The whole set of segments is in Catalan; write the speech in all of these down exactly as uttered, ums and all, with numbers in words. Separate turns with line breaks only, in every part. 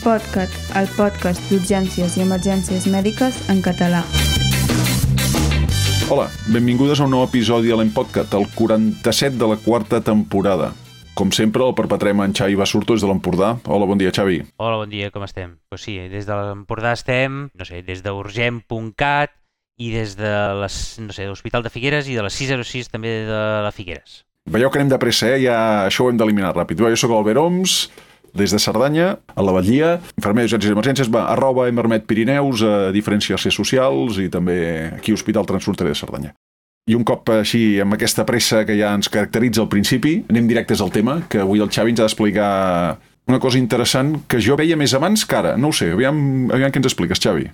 PodCat, el podcast d'urgències i emergències mèdiques en català.
Hola, benvingudes a un nou episodi de l'EmPodCat, el quaranta-set de la quarta temporada. Com sempre, el perpetrem en Xavi Basurto des de l'Empordà. Hola, bon dia, Xavi.
Hola, bon dia, com estem? Pues sí, des de l'Empordà estem, no sé, des d'urgent punt cat i des de les, no sé, l'Hospital de Figueres i de la sis zero sis també de la Figueres.
Veieu que anem de pressa, eh? Ja això ho hem d'eliminar ràpid. Jo soc l'Albert Oms, des de Cerdanya, a la Batllia, infermer d'urgències i emergències, va, arroba Emermet Pirineus, a diferents xarxes socials i també aquí Hospital Transfronterer de Cerdanya. I un cop així, amb aquesta pressa que ja ens caracteritza al principi, anem directes al tema, que avui el Xavi ens ha d'explicar una cosa interessant que jo veia més abans que ara. No ho sé, aviam, aviam què ens expliques, Xavi.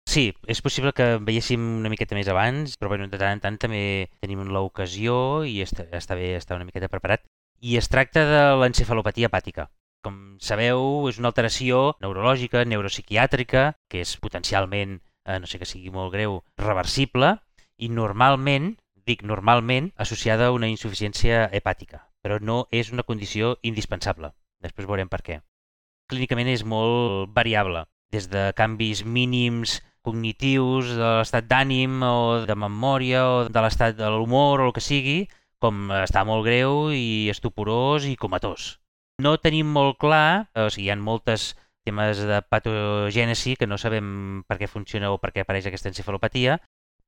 Sí, és possible que veiéssim una miqueta més abans, però bueno, de tant en tant també tenim l'ocasió i està, està bé estar una miqueta preparat. I es tracta de l'encefalopatia hepàtica. Com sabeu, és una alteració neurològica, neuropsiquiàtrica, que és potencialment, eh, no sé que sigui molt greu, reversible i normalment, dic normalment, associada a una insuficiència hepàtica, però no és una condició indispensable. Després veurem per què. Clínicament és molt variable, des de canvis mínims cognitius, de l'estat d'ànim o de memòria o de l'estat de l'humor o el que sigui, com estar molt greu i estuporós i comatós. No tenim molt clar, o sigui, hi ha moltes temes de patogènesi que no sabem per què funciona o per què apareix aquesta encefalopatia,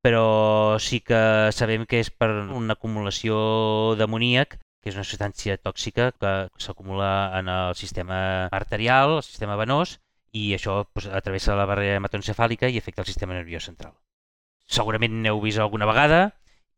però sí que sabem que és per una acumulació d'amoníac, que és una substància tòxica que s'acumula en el sistema arterial, el sistema venós, i això doncs, travessa la barrera hematoencefàlica i afecta el sistema nerviós central. Segurament n'heu vist alguna vegada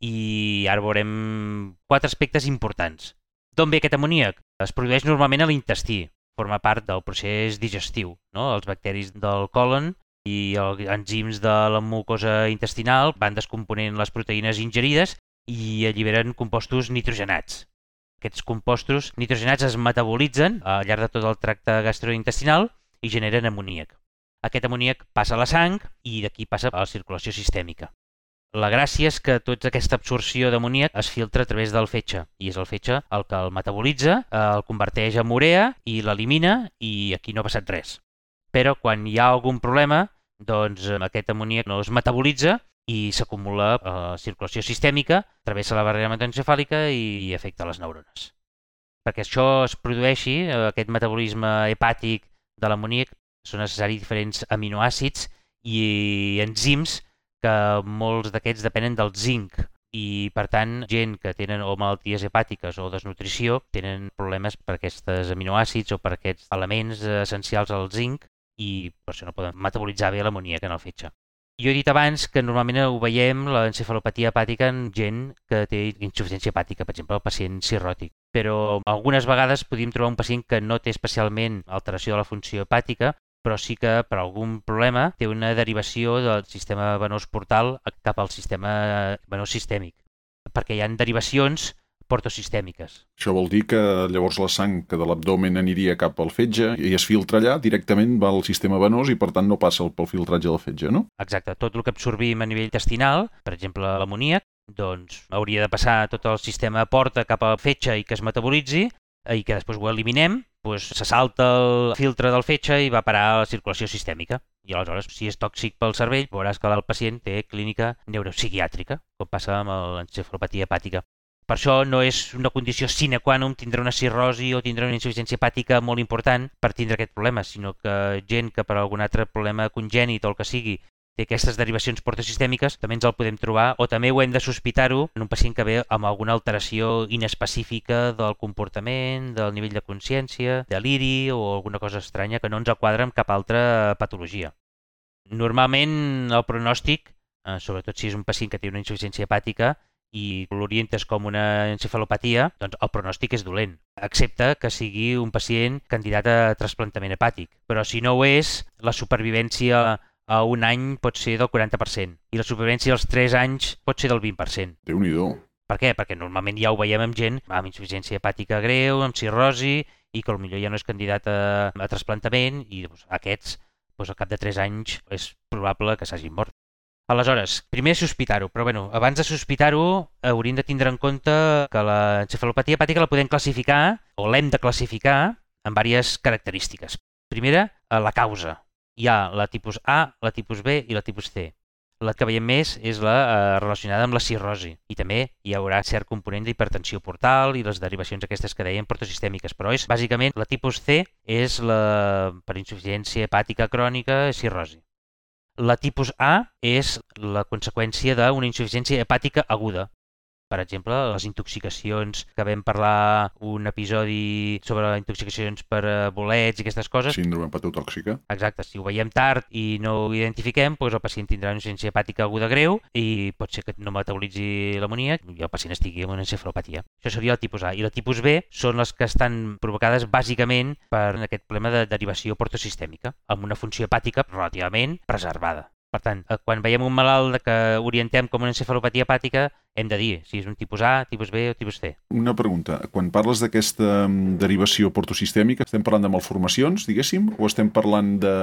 i ara veurem quatre aspectes importants. D'on ve aquest amoníac? Es produeix normalment a l'intestí, forma part del procés digestiu, no? Els bacteris del còlon i els enzims de la mucosa intestinal van descomponent les proteïnes ingerides i alliberen compostos nitrogenats. Aquests compostos nitrogenats es metabolitzen al llarg de tot el tracte gastrointestinal i generen amoníac. Aquest amoníac passa a la sang i d'aquí passa a la circulació sistèmica. La gràcia és que tota aquesta absorció d'amoníac es filtra a través del fetge i és el fetge el que el metabolitza, el converteix en urea i l'elimina i aquí no ha passat res. Però quan hi ha algun problema, doncs aquest amoníac no es metabolitza i s'acumula a la circulació sistèmica, travessa la barrera hematoencefàlica i afecta les neurones. Perquè això es produeixi, aquest metabolisme hepàtic de l'amoníac, són necessaris diferents aminoàcids i enzims que molts d'aquests depenen del zinc i, per tant, gent que tenen o malalties hepàtiques o desnutrició tenen problemes per aquests aminoàcids o per aquests elements essencials al zinc i per això no poden metabolitzar bé l'amoníac en el fetge. Jo he dit abans que normalment ho veiem, l'encefalopatia hepàtica, en gent que té insuficiència hepàtica, per exemple, el pacient cirròtic. Però algunes vegades podem trobar un pacient que no té especialment alteració de la funció hepàtica, però sí que per algun problema té una derivació del sistema venós portal cap al sistema venós sistèmic, perquè hi ha derivacions portosistèmiques.
Això vol dir que llavors la sang que de l'abdomen aniria cap al fetge i es filtra allà, directament va al sistema venós i per tant no passa pel filtratge del fetge, no?
Exacte, tot el que absorbim a nivell intestinal, per exemple l'amoníac, doncs hauria de passar tot el sistema porta cap al fetge i que es metabolitzi i que després ho eliminem, doncs se salta el filtre del fetge i va parar a la circulació sistèmica. I aleshores, si és tòxic pel cervell, veuràs que el pacient té clínica neuropsiquiàtrica, com passa amb l'encefalopatia hepàtica. Per això no és una condició sine qua non tindre una cirrosi o tindre una insuficiència hepàtica molt important per tindre aquest problema, sinó que gent que per algun altre problema congènit o el que sigui té aquestes derivacions portosistèmiques, també ens el podem trobar o també ho hem de sospitar-ho en un pacient que ve amb alguna alteració inespecífica del comportament, del nivell de consciència, deliri o alguna cosa estranya que no ens quadra amb cap altra patologia. Normalment el pronòstic, sobretot si és un pacient que té una insuficiència hepàtica i l'orientes com una encefalopatia, doncs el pronòstic és dolent, excepte que sigui un pacient candidat a trasplantament hepàtic. Però si no ho és, la supervivència a un any pot ser del quaranta per cent i la supervivència als tres anys pot ser del vint per cent.
Déu-n'hi-do.
Per què? Perquè normalment ja ho veiem amb gent amb insuficiència hepàtica greu, amb cirrosi i que potser ja no és candidat a, a trasplantament i doncs, aquests doncs, al cap de tres anys és probable que s'hagin mort. Aleshores, primer sospitar-ho, però bueno, abans de sospitar-ho hauríem de tindre en compte que l'encefalopatia hepàtica la podem classificar o l'hem de classificar en diverses característiques. Primera, la causa. Hi ha la tipus A, la tipus B i la tipus C. La que veiem més és la eh, relacionada amb la cirrosi i també hi haurà cert component d'hipertensió portal i les derivacions aquestes que dèiem portosistèmiques, però és bàsicament la tipus C és la per insuficiència hepàtica crònica i cirrosi. La tipus A és la conseqüència d'una insuficiència hepàtica aguda. Per exemple, les intoxicacions, que vam parlar un episodi sobre intoxicacions per bolets i aquestes coses.
Síndrome hepatotòxica.
Exacte, si ho veiem tard i no ho identifiquem, doncs el pacient tindrà una insuficiència hepàtica aguda greu i pot ser que no metabolitzi l'amoníac i el pacient estigui amb una encefalopatia. Això seria el tipus A. I la tipus B són les que estan provocades bàsicament per aquest problema de derivació portosistèmica, amb una funció hepàtica relativament preservada. Per tant, quan veiem un malalt que orientem com una encefalopatia hepàtica, hem de dir si és un tipus A, tipus B o tipus C.
Una pregunta. Quan parles d'aquesta derivació portosistèmica, estem parlant de malformacions, diguéssim, o estem parlant de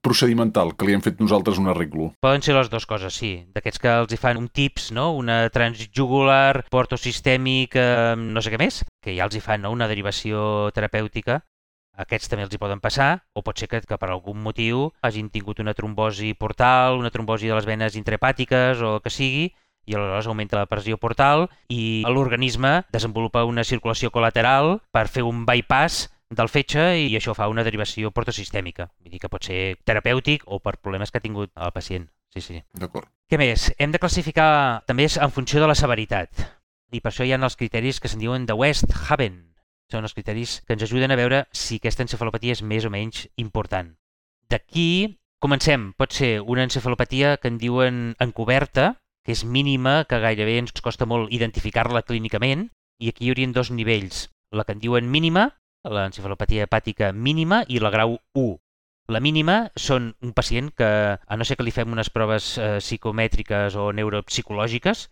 procedimental, que li hem fet nosaltres un arreglo?
Poden ser les dues coses, sí. D'aquests que els hi fan un tips, no? Una transjugular, portosistèmic, eh, no sé què més, que ja els hi fan, no? Una derivació terapèutica. Aquests també els hi poden passar, o pot ser que, que per algun motiu hagin tingut una trombosi portal, una trombosi de les venes intrahepàtiques o el que sigui, i aleshores augmenta la pressió portal i l'organisme desenvolupa una circulació col·lateral per fer un bypass del fetge i això fa una derivació portosistèmica. Vull dir que pot ser terapèutic o per problemes que ha tingut el pacient. Sí, sí.
D'acord.
Què més? Hem de classificar també en funció de la severitat. I per això hi ha els criteris que se'n diuen de Westhaven. Són els criteris que ens ajuden a veure si aquesta encefalopatia és més o menys important. D'aquí comencem. Pot ser una encefalopatia que en diuen encoberta, que és mínima, que gairebé ens costa molt identificar-la clínicament, i aquí hi haurien dos nivells. La que en diuen mínima, l'encefalopatia hepàtica mínima, i la grau u. La mínima són un pacient que, a no ser que li fem unes proves eh, psicomètriques o neuropsicològiques,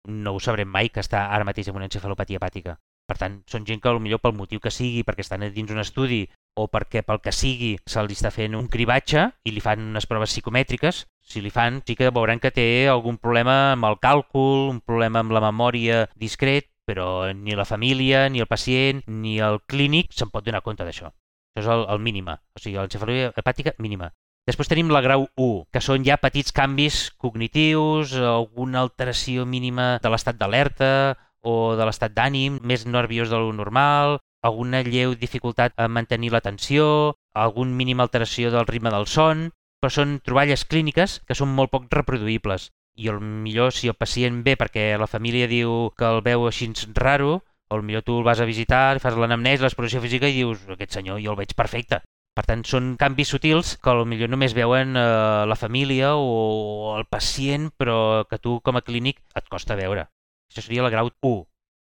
no ho sabrem mai que està ara mateix amb una encefalopatia hepàtica. Per tant, són gent que potser pel motiu que sigui, perquè estan dins un estudi o perquè pel que sigui se'ls està fent un cribatge i li fan unes proves psicomètriques, si li fan sí que veuran que té algun problema amb el càlcul, un problema amb la memòria discret, però ni la família, ni el pacient, ni el clínic se'n pot donar compte d'això. Això és el, el mínima, o sigui, l'encefalopatia hepàtica mínima. Després tenim la grau u, que són ja petits canvis cognitius, alguna alteració mínima de l'estat d'alerta, o de l'estat d'ànim, més nerviós de lo normal, alguna lleu dificultat a mantenir l'atenció, algun mínima alteració del ritme del son, però són troballes clíniques que són molt poc reproduïbles. I el millor, si el pacient ve perquè la família diu que el veu així raro, o el millor tu el vas a visitar, li fas l'anamnesi, l'exploració física i dius, aquest senyor jo el veig perfecte. Per tant, són canvis sutils que potser només veuen eh, la família o el pacient, però que tu com a clínic et costa veure. Això seria la grau u.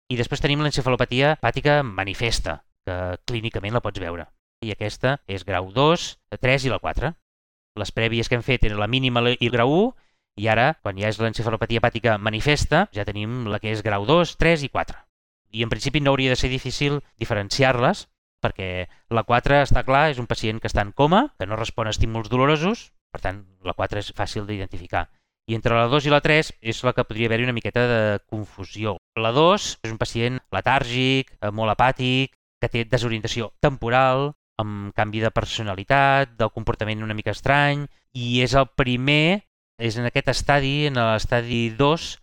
I després tenim l'encefalopatia hepàtica manifesta, que clínicament la pots veure. I aquesta és grau dos, tres i la quatre. Les prèvies que hem fet eren la mínima i el grau u, i ara, quan ja és l'encefalopatia hepàtica manifesta, ja tenim la que és grau dos, tres i quatre. I en principi no hauria de ser difícil diferenciar-les, perquè la quatre està clar, és un pacient que està en coma, que no respon a estímuls dolorosos, per tant, la quatre és fàcil d'identificar. I entre la dos i la tres és la que podria haver-hi una miqueta de confusió. La dos és un pacient letàrgic, molt apàtic, que té desorientació temporal, amb canvi de personalitat, del comportament una mica estrany, i és el primer, és en aquest estadi, en l'estadi dos,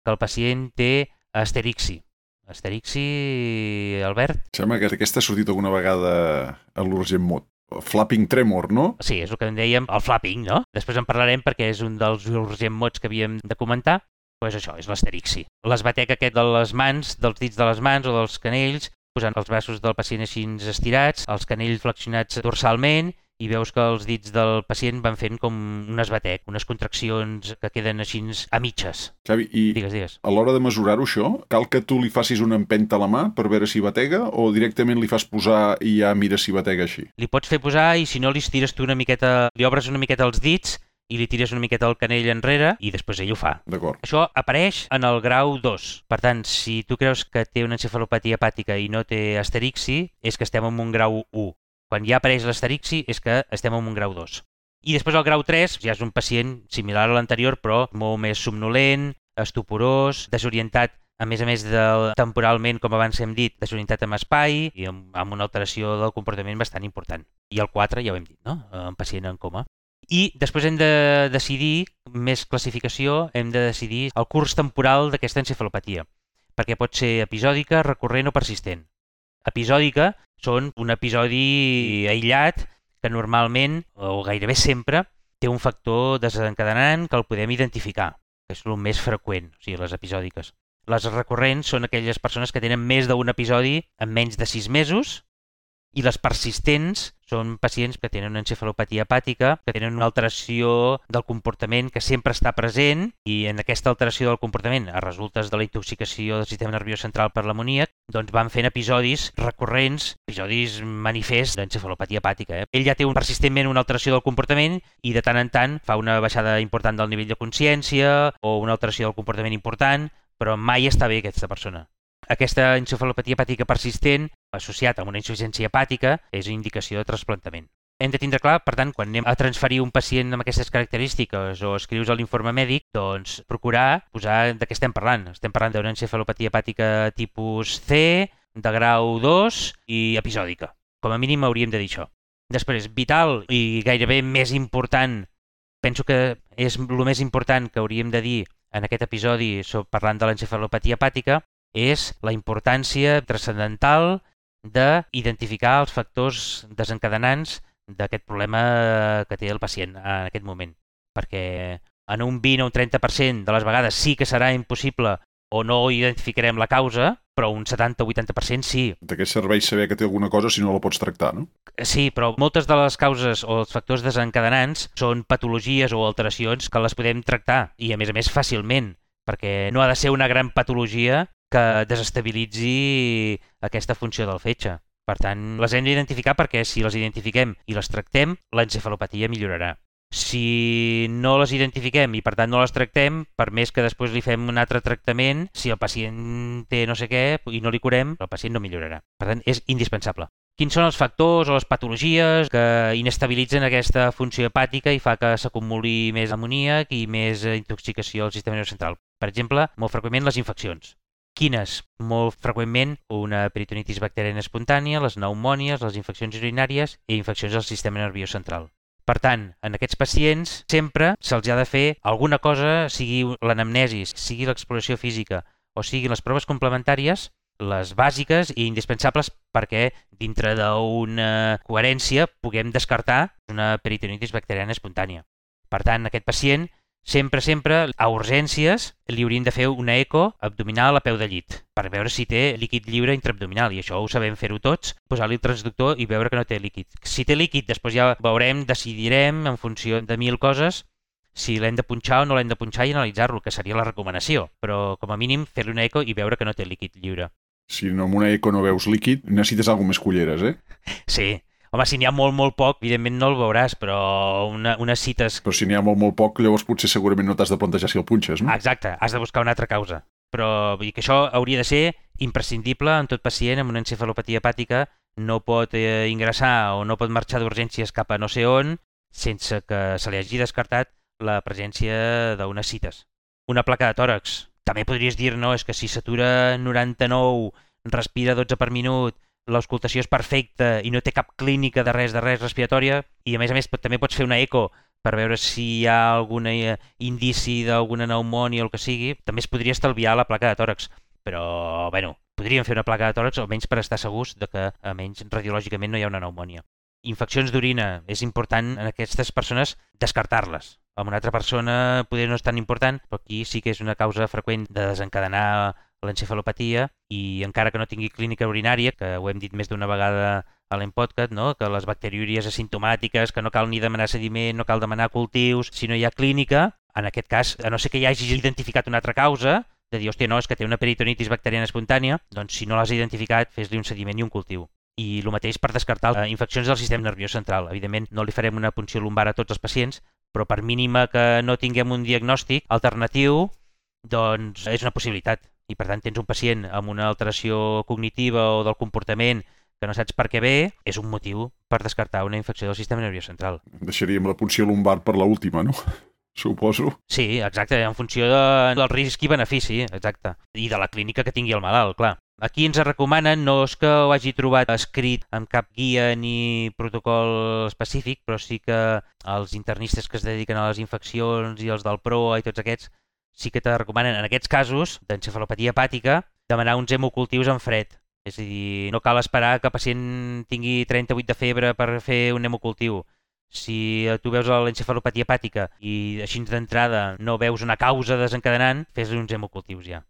que el pacient té asterixi. Asterixi, Albert?
Sembla que aquesta ha sortit alguna vegada a l'Urgent Mot. Flapping tremor, no?
Sí, és el que en dèiem, el flapping, no? Després en parlarem perquè és un dels urgent mots que havíem de comentar. Doncs això, és l'asterixi. L'esbatec aquest de les mans, dels dits de les mans o dels canells, posant els braços del pacient així estirats, els canells flexionats dorsalment, i veus que els dits del pacient van fent com un esbatec, unes contraccions que queden així a mitges.
Xavi, i
digues, digues.
A l'hora de mesurar-ho això, cal que tu li facis una empenta a la mà per veure si batega o directament li fas posar i ja mires si batega així?
Li pots fer posar i si no li estires tu una miqueta, li obres una miqueta els dits i li tires una miqueta el canell enrere i després ell ho fa.
D'acord.
Això apareix en el grau dos. Per tant, si tu creus que té una encefalopatia hepàtica i no té asterixi, és que estem en un grau u. Quan ja apareix l'asterixi és que estem en un grau dos. I després el grau tres ja és un pacient similar a l'anterior, però molt més somnolent, estuporós, desorientat a més a més de temporalment, com abans hem dit, desunitat amb espai i amb, amb una alteració del comportament bastant important. I el quatre, ja ho hem dit, no? Un pacient en coma. I després hem de decidir, més classificació, hem de decidir el curs temporal d'aquesta encefalopatia, perquè pot ser episòdica, recurrent o persistent. Episòdica són un episodi aïllat que normalment, o gairebé sempre, té un factor desencadenant que el podem identificar, que és el més freqüent, o sigui, les episòdiques. Les recurrents són aquelles persones que tenen més d'un episodi en menys de sis mesos i les persistents són pacients que tenen una encefalopatia hepàtica, que tenen una alteració del comportament que sempre està present i en aquesta alteració del comportament, a resultes de la intoxicació del sistema nerviós central per l'amoníac, doncs van fent episodis recurrents, episodis manifests d'encefalopatia hepàtica. Eh? Ell ja té un, persistentment una alteració del comportament i de tant en tant fa una baixada important del nivell de consciència o una alteració del comportament important, però mai està bé aquesta persona. Aquesta encefalopatia hepàtica persistent, associat amb una insuficiència hepàtica, és indicació de trasplantament. Hem de tindre clar, per tant, quan anem a transferir un pacient amb aquestes característiques o escrius a l'informe mèdic, doncs procurar posar de què estem parlant. Estem parlant d'una encefalopatia hepàtica tipus C, de grau dos i episòdica. Com a mínim hauríem de dir això. Després, vital i gairebé més important, penso que és el més important que hauríem de dir en aquest episodi parlant de l'encefalopatia hepàtica, és la importància transcendental d'identificar els factors desencadenants d'aquest problema que té el pacient en aquest moment. Perquè en un vint o un trenta per cent de les vegades sí que serà impossible o no identificarem la causa, però un setanta o vuitanta per cent sí.
De què serveix saber que té alguna cosa si no la pots tractar, no?
Sí, però moltes de les causes o els factors desencadenants són patologies o alteracions que les podem tractar i, a més a més, fàcilment, perquè no ha de ser una gran patologia que desestabilitzi aquesta funció del fetge. Per tant, les hem d'identificar perquè si les identifiquem i les tractem, l'encefalopatia millorarà. Si no les identifiquem i per tant no les tractem, per més que després li fem un altre tractament, si el pacient té no sé què i no li curem, el pacient no millorarà. Per tant, és indispensable. Quins són els factors o les patologies que inestabilitzen aquesta funció hepàtica i fa que s'acumuli més amoníac i més intoxicació al sistema nerviós central? Per exemple, molt freqüentment les infeccions. Quines? Molt freqüentment una peritonitis bacteriana espontània, les pneumònies, les infeccions urinàries i infeccions del sistema nerviós central. Per tant, en aquests pacients sempre se'ls ha de fer alguna cosa, sigui l'anamnesi, sigui l'exploració física o sigui les proves complementàries, les bàsiques i indispensables perquè dintre d'una coherència puguem descartar una peritonitis bacteriana espontània. Per tant, aquest pacient sempre, sempre, a urgències, li hauríem de fer una eco abdominal a peu de llit per veure si té líquid lliure intraabdominal, i això ho sabem fer-ho tots, posar-li el transductor i veure que no té líquid. Si té líquid, després ja veurem, decidirem, en funció de mil coses, si l'hem de punxar o no l'hem de punxar i analitzar-lo, que seria la recomanació, però com a mínim fer-li una eco i veure que no té líquid lliure.
Si no amb una eco no veus líquid, necessites alguna més culleres, eh?
Sí. Home, si n'hi ha molt, molt poc, evidentment no el veuràs, però una, unes cites...
Però si n'hi ha molt, molt poc, llavors potser segurament no t'has de plantejar si el punxes, no?
Exacte, has de buscar una altra causa. Però vull dir que això hauria de ser imprescindible en tot pacient amb una encefalopatia hepàtica. No pot eh, ingressar o no pot marxar d'urgències cap a no sé on sense que se li hagi descartat la presència d'unes cites. Una placa de tòrax. També podries dir, no, és que si s'atura noranta-nou, respira dotze per minut, l'auscultació és perfecta i no té cap clínica de res de res respiratòria i a més a més també pots fer una eco per veure si hi ha algun indici d'alguna pneumònia o el que sigui, també es podria estalviar la placa de tòrax. Però, bueno, podríem fer una placa de tòrax almenys per estar segurs de que almenys radiològicament no hi ha una pneumònia. Infeccions d'orina, és important en aquestes persones descartar-les. Amb una altra persona poder no és tan important, però aquí sí que és una causa freqüent de desencadenar l'encefalopatia i encara que no tingui clínica urinària, que ho hem dit més d'una vegada a l'Empodcast, no? Que les bacteriúries asimptomàtiques, que no cal ni demanar sediment, no cal demanar cultius, si no hi ha clínica, en aquest cas, a no ser que hi hagis identificat una altra causa, de dir, hòstia, no, és que té una peritonitis bacteriana espontània, doncs si no l'has identificat, fes-li un sediment i un cultiu. I el mateix per descartar eh, infeccions del sistema nerviós central. Evidentment, no li farem una punció lumbar a tots els pacients, però per mínima que no tinguem un diagnòstic alternatiu, doncs és una possibilitat. I per tant tens un pacient amb una alteració cognitiva o del comportament que no saps per què ve, és un motiu per descartar una infecció del sistema nerviós central.
Deixaríem la punció lumbar per l'última, no? suposo.
Sí, exacte, en funció de, del risc i benefici, exacte. I de la clínica que tingui el malalt, clar. Aquí ens recomanen, no és que ho hagi trobat escrit amb cap guia ni protocol específic, però sí que els internistes que es dediquen a les infeccions i els del P R O A i tots aquests sí que te recomanen, en aquests casos d'encefalopatia hepàtica, demanar uns hemocultius en fred. És a dir, no cal esperar que el pacient tingui trenta-vuit de febre per fer un hemocultiu. Si tu veus l'encefalopatia hepàtica i així d'entrada no veus una causa desencadenant, fes-li uns hemocultius ja.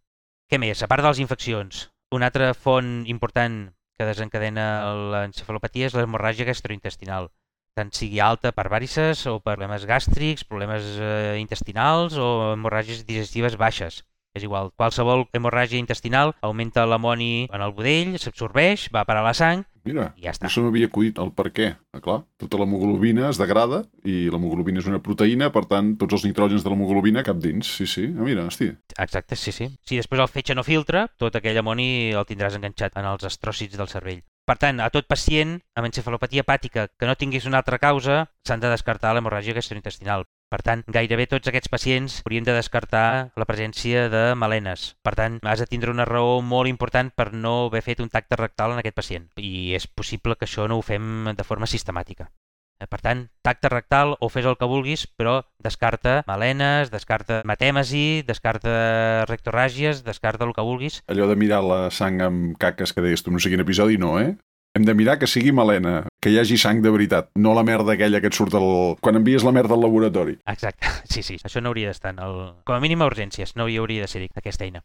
Què més? A part de les infeccions, una altra font important que desencadena l'encefalopatia és l'hemorràgia gastrointestinal, tant sigui alta per vàrices o per problemes gàstrics, problemes eh, intestinals o hemorràgies digestives baixes. És igual, qualsevol hemorràgia intestinal augmenta l'amoni en el budell, s'absorbeix, va a parar a la sang.
Mira,
i ja està.
això m'havia acudit el per què. Ah, clar, tota l'hemoglobina es degrada i l'hemoglobina és una proteïna, per tant, tots els nitrògens de l'hemoglobina cap dins. Sí, sí. Ah, mira, hosti.
Exacte, sí, sí. Si després el fetge no filtra, tot aquell amoni el tindràs enganxat en els astròcits del cervell. Per tant, a tot pacient amb encefalopatia hepàtica que no tingués una altra causa, s'han de descartar l'hemorràgia gastrointestinal. Per tant, gairebé tots aquests pacients haurien de descartar la presència de melenes. Per tant, has de tindre una raó molt important per no haver fet un tacte rectal en aquest pacient. I és possible que això no ho fem de forma sistemàtica. Per tant, tacte rectal o fes el que vulguis, però descarta melenes, descarta hematèmesi, descarta rectorràgies, descarta el que vulguis.
Allò de mirar la sang amb caques que deies tu, no sé quin episodi, no, eh? Hem de mirar que sigui melena, que hi hagi sang de veritat, no la merda aquella que et surt del... quan envies la merda al laboratori.
Exacte, sí, sí, això no hauria d'estar en el... Com a mínim a urgències, no hi hauria de ser aquesta eina.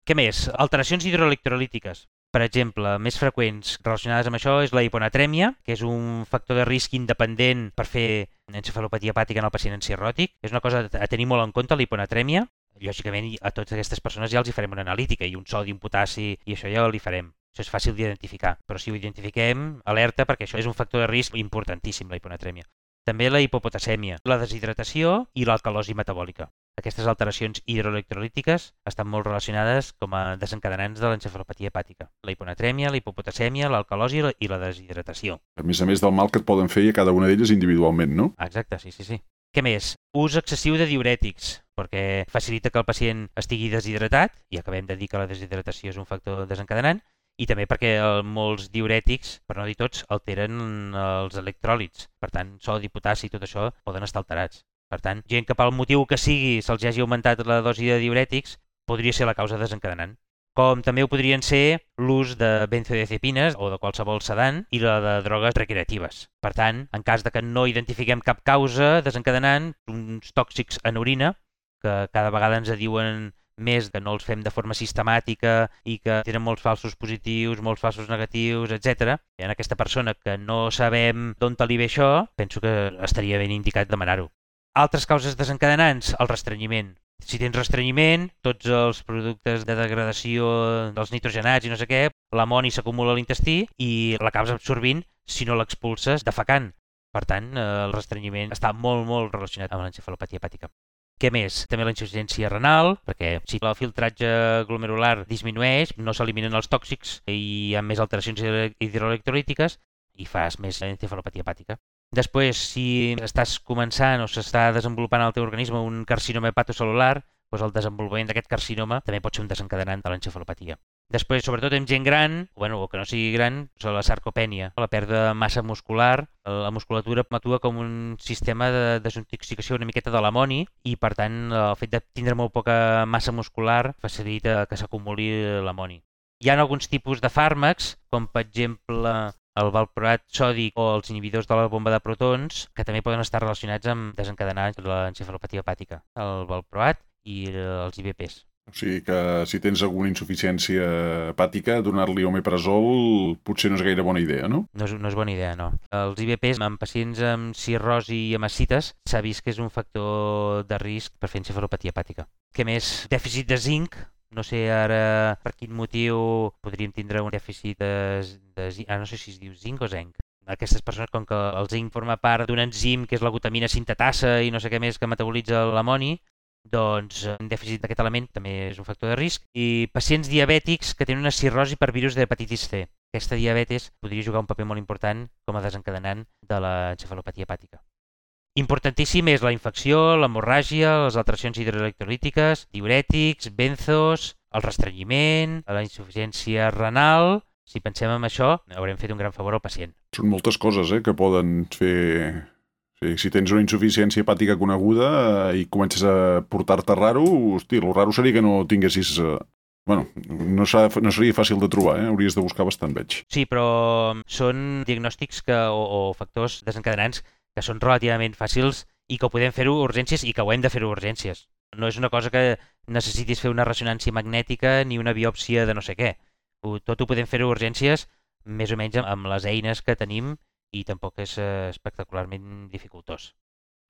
Què més? Alteracions hidroelectrolítiques. Per exemple, més freqüents relacionades amb això és la hiponatrèmia, que és un factor de risc independent per fer encefalopatia hepàtica en el pacient encirròtic. És una cosa a tenir molt en compte, la hiponatrèmia. Lògicament, a totes aquestes persones ja els hi farem una analítica i un sodi, un potassi, i això ja li farem. Això és fàcil d'identificar, però si ho identifiquem, alerta, perquè això és un factor de risc importantíssim, la hiponatrèmia. També la hipopotasèmia, la deshidratació i l'alcalosi metabòlica. Aquestes alteracions hidroelectrolítiques estan molt relacionades com a desencadenants de l'encefalopatia hepàtica. La hiponatrèmia, la hipopotasèmia, l'alcalosi i la deshidratació.
A més a més del mal que et poden fer a cada una d'elles individualment, no?
Exacte, sí, sí, sí. Què més? Ús excessiu de diürètics, perquè facilita que el pacient estigui deshidratat, i acabem de dir que la deshidratació és un factor desencadenant, i també perquè molts diürètics, per no dir tots, alteren els electròlits. Per tant, sodi, potassi i tot això poden estar alterats. Per tant, gent que pel motiu que sigui se'ls hagi augmentat la dosi de diürètics podria ser la causa desencadenant. Com també ho podrien ser l'ús de benzodiazepines o de qualsevol sedant i la de drogues recreatives. Per tant, en cas de que no identifiquem cap causa desencadenant, uns tòxics en orina, que cada vegada ens diuen més que no els fem de forma sistemàtica i que tenen molts falsos positius, molts falsos negatius, etcètera. I en aquesta persona que no sabem d'on li ve això, penso que estaria ben indicat demanar-ho. Altres causes desencadenants, el restrenyiment. Si tens restrenyiment, tots els productes de degradació dels nitrogenats i no sé què, l'amoni s'acumula a l'intestí i l'acabes absorbint si no l'expulses defecant. Per tant, el restrenyiment està molt, molt relacionat amb l'encefalopatia hepàtica. Què més? També la insuficiència renal, perquè si el filtratge glomerular disminueix, no s'eliminen els tòxics i hi ha més alteracions hidroelectrolítiques i fas més encefalopatia hepàtica. Després, si estàs començant o s'està desenvolupant al teu organisme un carcinoma hepatocel·lular, doncs el desenvolupament d'aquest carcinoma també pot ser un desencadenant de l'encefalopatia. Després, sobretot en gent gran, bueno, o que no sigui gran, és la sarcopènia, la pèrdua de massa muscular. La musculatura actua com un sistema de desintoxicació una miqueta de l'amoni i, per tant, el fet de tindre molt poca massa muscular facilita que s'acumuli l'amoni. Hi ha alguns tipus de fàrmacs, com per exemple el valproat sòdic o els inhibidors de la bomba de protons, que també poden estar relacionats amb desencadenar l'encefalopatia hepàtica, el valproat i els I V Ps.
O sigui que si tens alguna insuficiència hepàtica, donar-li omeprazol potser no és gaire bona idea, no?
No és, no és bona idea, no. Els I V Ps en pacients amb cirrosi i amb ascites s'ha vist que és un factor de risc per fer encefalopatia hepàtica. Què més? Dèficit de zinc. No sé ara per quin motiu podríem tindre un dèficit de, de zinc. Ah, no sé si es diu zinc o zinc. Aquestes persones, com que el zinc forma part d'un enzim que és la glutamina sintetasa i no sé què més que metabolitza l'amoni, doncs un dèficit d'aquest element també és un factor de risc. I pacients diabètics que tenen una cirrosi per virus d'hepatitis C. Aquesta diabetes podria jugar un paper molt important com a desencadenant de l'encefalopatia hepàtica. Importantíssim és la infecció, l'hemorràgia, les alteracions hidroelectrolítiques, diurètics, benzos, el restrenyiment, la insuficiència renal. Si pensem en això, haurem fet un gran favor al pacient.
Són moltes coses eh, que poden fer... Sí, si tens una insuficiència hepàtica coneguda eh, i comences a portar-te raro, hosti, el raro seria que no tinguessis... Eh... Bueno, no, no seria fàcil de trobar, eh? Hauries de buscar bastant, veig.
Sí, però són diagnòstics que, o, o factors desencadenants que són relativament fàcils i que ho podem fer-ho a urgències i que ho hem de fer-ho a urgències. No és una cosa que necessitis fer una ressonància magnètica ni una biòpsia de no sé què. Tot ho podem fer a urgències més o menys amb les eines que tenim i tampoc és espectacularment dificultós.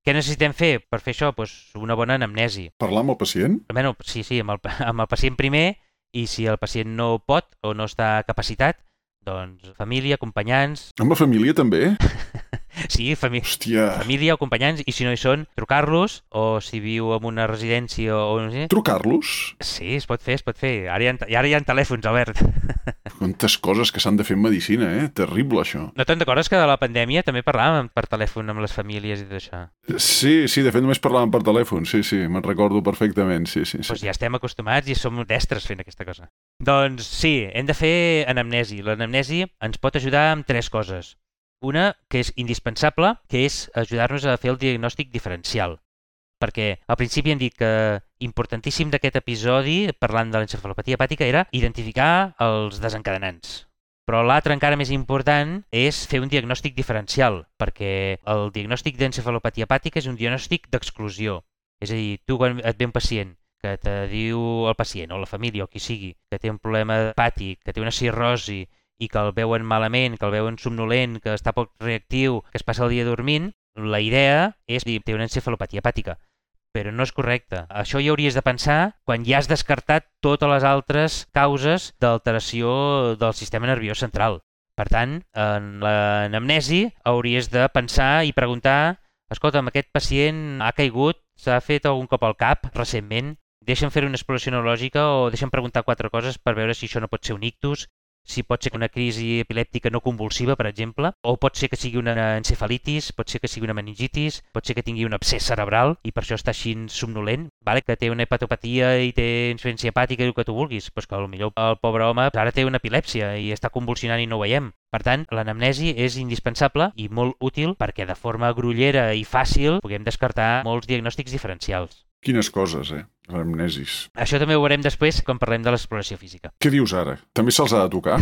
Què necessitem fer per fer això? Pues una bona anamnesi.
Parlar amb el pacient?
Bueno, sí, sí, amb el, amb el pacient primer, i si el pacient no pot o no està capacitat, doncs família, acompanyants...
Amb la família també?
Sí, fami
Hòstia.
família o acompanyants, i si no hi són, trucar-los, o si viu en una residència o no sé...
Trucar-los?
Sí, es pot fer, es pot fer. Ara hi ha, ara hi ha telèfons, Albert.
Quantes coses que s'han de fer en medicina, eh? Terrible, això.
No te'n recordes que de la pandèmia també parlàvem per telèfon amb les famílies i tot això?
Sí, sí, de fet només parlàvem per telèfon, sí, sí, me'n recordo perfectament, sí, sí. sí.
Doncs ja estem acostumats i som destres fent aquesta cosa. Doncs sí, hem de fer anamnesi. L'anamnesi ens pot ajudar amb tres coses. Una, que és indispensable, que és ajudar-nos a fer el diagnòstic diferencial. Perquè al principi hem dit que importantíssim d'aquest episodi, parlant de l'encefalopatia hepàtica, era identificar els desencadenants. Però l'altre encara més important és fer un diagnòstic diferencial, perquè el diagnòstic d'encefalopatia hepàtica és un diagnòstic d'exclusió. És a dir, tu quan et ve un pacient que te diu el pacient o la família o qui sigui que té un problema hepàtic, que té una cirrosi i que el veuen malament, que el veuen somnolent, que està poc reactiu, que es passa el dia dormint, la idea és dir, té una encefalopatia hepàtica. Però no és correcte. Això hi hauries de pensar quan ja has descartat totes les altres causes d'alteració del sistema nerviós central. Per tant, en l'anamnesi hauries de pensar i preguntar: escolta, amb aquest pacient ha caigut, s'ha fet algun cop al cap recentment, deixa'm fer una exploració neurològica o deixa'm preguntar quatre coses per veure si això no pot ser un ictus, si pot ser una crisi epilèptica no convulsiva, per exemple, o pot ser que sigui una encefalitis, pot ser que sigui una meningitis, pot ser que tingui un abscés cerebral i per això està així somnolent, vale? Que té una hepatopatia i té insuficiència hepàtica i el que tu vulguis, però que potser el pobre home ara té una epilèpsia i està convulsionant i no ho veiem. Per tant, l'anamnesi és indispensable i molt útil perquè de forma grollera i fàcil puguem descartar molts diagnòstics diferencials.
Quines coses, eh? L'anamnesis.
Això també ho veurem després quan parlem de l'exploració física.
Què dius ara? També se'ls ha de tocar?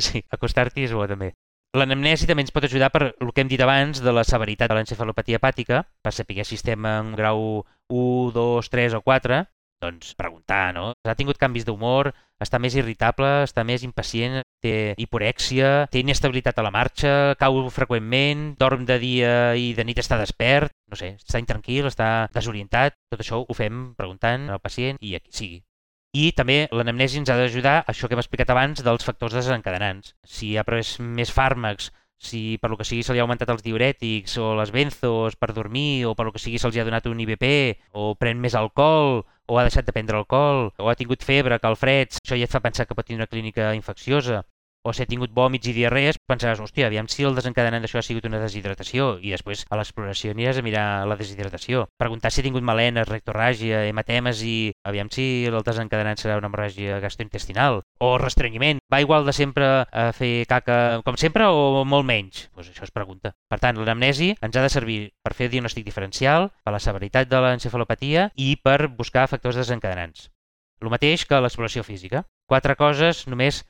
Sí, acostar-t'hi és bo també. L'anamnesi també ens pot ajudar per el que hem dit abans de la severitat de l'encefalopatia hepàtica, per saber si estem en grau u, dos, tres o quatre, doncs preguntar, no? Ha tingut canvis d'humor, està més irritable, està més impacient, té hiporèxia, té inestabilitat a la marxa, cau freqüentment, dorm de dia i de nit està despert, no sé, està intranquil, està desorientat, tot això ho fem preguntant al pacient i a qui sigui. I també l'anamnesi ens ha d'ajudar a això que hem explicat abans dels factors desencadenants. Si ha pres més fàrmacs, si per lo que sigui se li ha augmentat els diurètics o les benzos per dormir o per lo que sigui se'ls ha donat un I V P o pren més alcohol o ha deixat de prendre alcohol o ha tingut febre, calfreds, això ja et fa pensar que pot tenir una clínica infecciosa. O si ha tingut vòmits i diarrees, pensaràs, hòstia, aviam si el desencadenant d'això ha sigut una deshidratació i després a l'exploració aniràs a mirar la deshidratació. Preguntar si ha tingut melenes, rectorràgia, hematemes i aviam si el desencadenant serà una hemorràgia gastrointestinal. O restrenyiment. Va igual de sempre a fer caca com sempre o molt menys? Doncs això es pregunta. Per tant, l'anamnesi ens ha de servir per fer diagnòstic diferencial, per la severitat de l'encefalopatia i per buscar factors desencadenants. El mateix que l'exploració física. Quatre coses només.